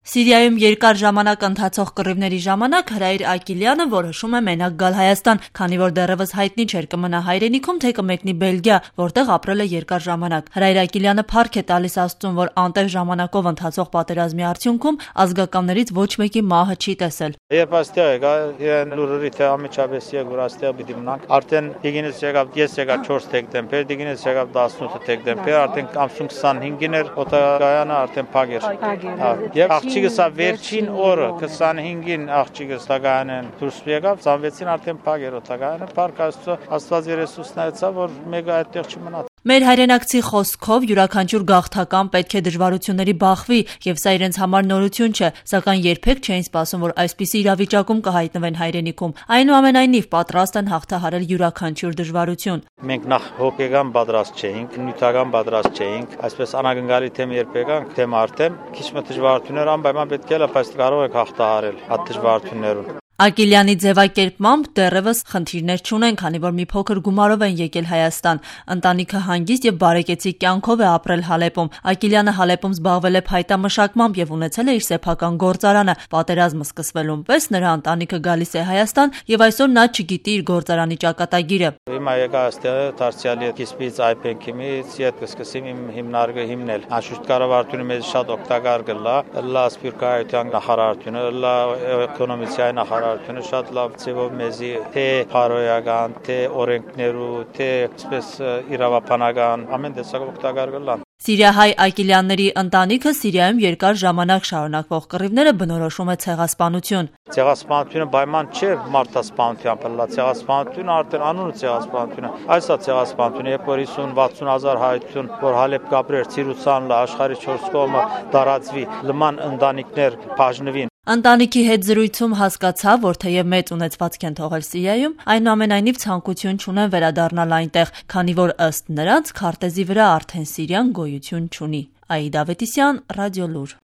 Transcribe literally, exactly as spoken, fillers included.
Սիրիայում երկար ժամանակ ընթացող կռիվների ժամանակ Հրայր Ակիլյանը որոշում է մենակ գալ Հայաստան, քանի որ դեռևս հայտնի չէր կմնա հայրենիքում, թե կմեկնի Բելգիա, որտեղ ապրել է երկար ժամանակ։ Հրայր Ակիլյանը փառք է տալիս Աստծուն, որ անտեր ժամանակով ընթացող պատերազմի արդյունքում ազգականներից ոչ մեկի մահը չի տեսել։ Երբ այստեղ եկա, իրեն լուրերի թե ամիջապես եկա, որ այստեղ պիտի մնանք, արդեն դիգինից եկավ, ես եկա չորս դեկտեմբեր, դիգինից եկավ տասնութ դեկտեմբեր, արդեն ամսուն քսանհինգին էր օտարակայանը արդեն փակ էր։ Եվ աղջիկս վերջին օրը քսանհինգին աղջիկս տագայանեն դուրս եկավ, ծանվեցին արդեն փակ էր օտարակայանը, փառք Աստծո, Աստված Երեսուսն այցա, որ մեկը այդտեղ չմնա։ Մեր հայրենակցի խոսքով յուրաքանչյուր գաղթական պետք է դժվարությունների բախվի, եւ սա իրենց համար նորություն չէ, սակայն երբեք չէին սպասում, որ այսպիսի իրավիճակում կհայտնվեն հայրենիքում։ Այնուամենայնիվ պատրաստ են հաղթահարել յուրաքանչյուր դժվարություն։ Մենք նախ հոգեգան պատրաստ չէինք, նյութական պատրաստ չէինք, այսպես անագնգալի թեմ երբ եկանք, թեմ արդեմ, քիչ մը դժվարություններ անպայման պետք է լավ, բայց կարող ենք հաղթահարել այդ դժվարություններուն։ Ակիլյանի ձևակերպմամբ դեռևս խնդիրներ չունեն, քանի որ մի փոքր գումարով են եկել Հայաստան։ Ընտանիքը հանգիստ եւ բարեկեցիկ կյանքով է ապրել Հալեպում։ Ակիլյանը Հալեպում զբաղվել է փայտամշակմամբ եւ ունեցել է իր սեփական գործարանը։ Պատերազմը սկսվելուն պես նրա ընտանիքը գալիս է Հայաստան եւ այսօր նա չգիտի իր գործարանի ճակատագիրը։ Հիմա եկա այստեղ դարձյալի կիսպից այփենքիմից իդ կսկսեմ իմ հիմնարկը հիմնել։ Անշուշտ կառավարությունը մեզ շատ օգտակար կլա, լա սպիրկայության նախարարությունը, լա էկոնոմիկայի նախարարությունը շատ լավ ձևով մեզի թե փարոյական, թե օրենքներու, թե այսպես իրավաբանական ամեն տեսակ օգտակար կլան։ Սիրիահայ Ակիլյանների ընտանիքը Սիրիայում երկար ժամանակ շարունակվող կռիվները բնորոշում է ցեղասպանություն։ Ցեղասպանությունը պայման չէ մարդասպանության, բլա ցեղասպանությունը արդեն անունը ցեղասպանությունը։ Այս է ցեղասպանությունը, երբ որ հիսուն վաթսուն հազար հայություն, որ Հալեպ կապրեր, Սիրուցան լա աշխարհի չորս կողմը տարածվի, լման ընտանիքներ բաժնվին։ Ընտանիքի հետ զրույցում հասկացա, որ թեև մեծ ունեցվածք են թողել Սիրիայում, այնուամենայնիվ ցանկություն չունեն վերադառնալ այնտեղ, քանի որ ըստ նրանց քարտեզի վրա արդեն Սիրիան գոյություն չունի։ Աիդա Ավետիսյան, Ռադիոլուր։